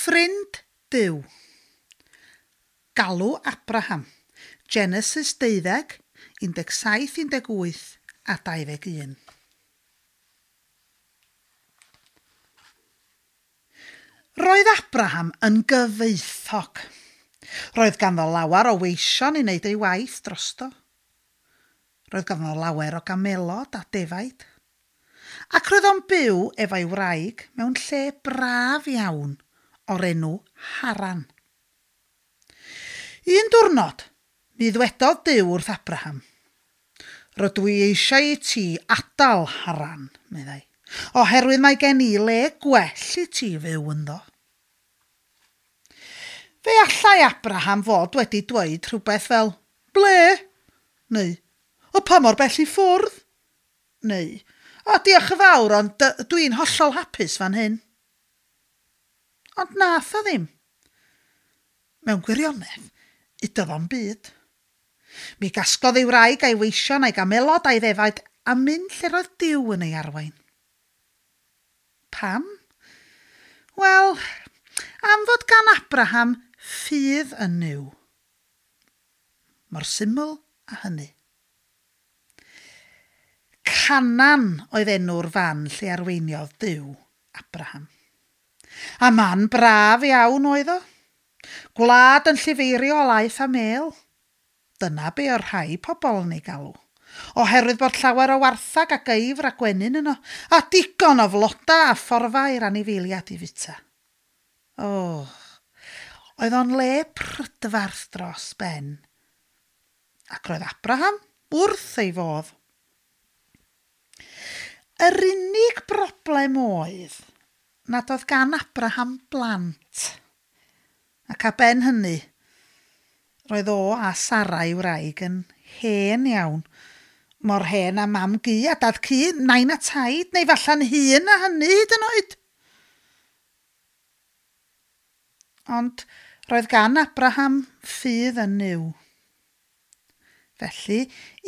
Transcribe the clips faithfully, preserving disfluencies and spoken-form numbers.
Ffrind Duw. Galw Abraham. Genesis deuddeg, un deg saith, un deg wyth a dau ddeg un. Roedd Abraham yn gyfoethog. Roedd ganddo lawer o weision i wneud ei waith drosto. Roedd ganddo lawer o gamelod a defaid. Ac roedd o'n byw efo'i wraig mewn lle braf iawn o'r enw Haran. Un diwrnod, mi ddwedodd Duw wrth Abraham, Rydw i eisiau i ti adael Haran, meddai, oherwydd mae gen i le gwell i ti fyw ynddo. Fe allai Abraham fod wedi dweud rhywbeth fel, Ble? Neu, O pa mor bell i ffwrdd? Neu, O diolch yn fawr, ond dwi'n hollol hapus fan hyn. Ond nath o ddim. Mewn gwirionedd, udodd o'm byd. Mi gasglodd ei wraig a'i weision a'i gamelod a'i ddefaid a mynd lle roedd Duw yn ei arwain. Pam? Wel, am fod gan Abraham ffydd yn Nuw. Mor syml â hynny. Canaan oedd enw'r fan lle arweiniodd Duw Abraham. A man braf iawn oedd o. Gwlad yn llifeirio o laeth a mêl. Dyna be o'r rhai pobl yn ei galw. Oherwydd bod llawer o warthag a geifr a gwenyn yno, a digon o floda a fforfa i'r anifeiliaid i fwyta. O, oedd o'n le prydferth dros ben. Ac roedd Abraham wrth ei fodd. Yr unig broblem oedd nad oedd gan Abraham blant. Ac ar ben hynny, roedd o a Sara ei wraig yn hen iawn. Mor hen a mam gu a dad cu, nain a taid, neu falla'n hŷn a hynny hyd yn oed. Ond roedd gan Abraham ffydd yn Nuw. Felly,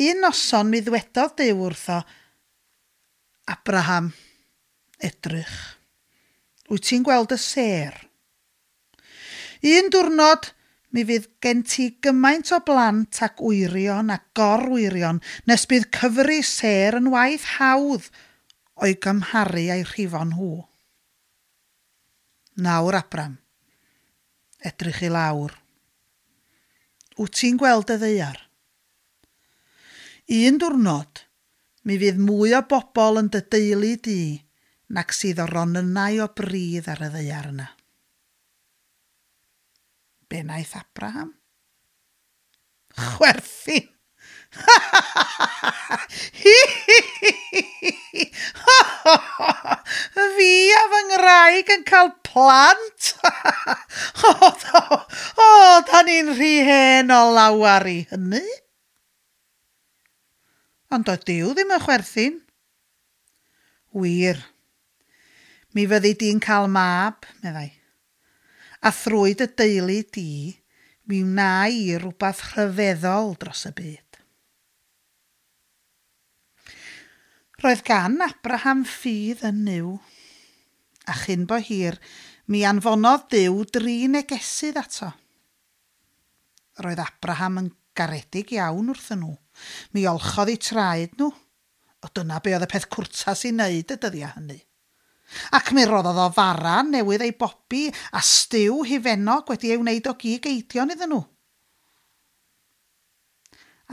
un noson mi ddwedodd Duw wrtho, Abraham, edrych, wyt ti'n gweld y sêr? Un diwrnod, mi fydd gen ti gymaint o blant ac wyrion a gorwyrion nes bydd cyfri sêr yn waith hawdd o'i gymharu a'i rhifo nhw. Nawr, Abram, edrych i lawr. Wyt ti'n gweld y ddaear? Un diwrnod, mi fydd mwy o bobl yn dy deulu di nag sydd o ronynnau o bridd ar y ddaear yna. Be wnaeth Abraham? Chwerthin! Fi a fy ngwraig yn cael plant? O, o, da ni'n rhy hen o lawar i hynny. Ond doedd Duw ddim yn chwerthin. Wir, mi fyddi di'n cael mab, meddai. A thrwy dy deulu di, mi wna i rywbeth rhyfeddol dros y byd. Roedd gan Abraham ffydd yn Nuw, a chyn bo hir, mi anfonodd Duw dri negesydd ato. Roedd Abraham yn garedig iawn wrthyn nhw. Mi olchodd eu traed nhw. O dyna be oedd y peth cwrtas i wneud y dyddiau hynny. Ac mi roddodd o fara newydd ei bobi a stiw hufennog wedi ei wneud o gig eidion iddyn nhw.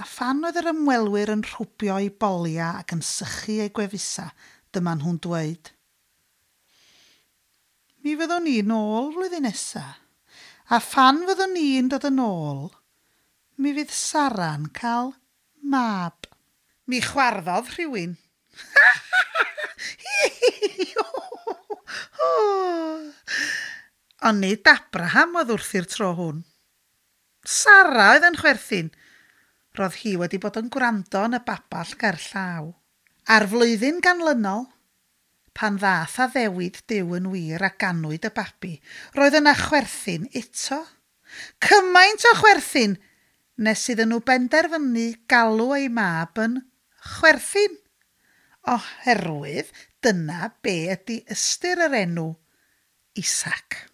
A phan oedd yr ymwelwyr yn rhwbio eu boliau ac yn sychu eu gwefusau, dyma nhw'n dweud, Mi fyddwn ni'n ôl flwyddyn nesa, a phan fyddwn ni'n dod yn ôl, mi fydd Sara'n cael mab. Mi chwarddodd rhywun. Ond nid Abraham oedd wrth i'r tro hwn. Sara oedd yn chwerthin. Roedd hi wedi bod yn gwrando yn y babell ger llaw. A'r flwyddyn ganlynol, pan ddath addewid Duw yn wir a ganwyd y babi, roedd yna chwerthin eto. Cymaint o chwerthin nes iddyn nhw benderfynu galw ei mab yn chwerthin, oherwydd dyna be ydy ystyr yr enw Isaac.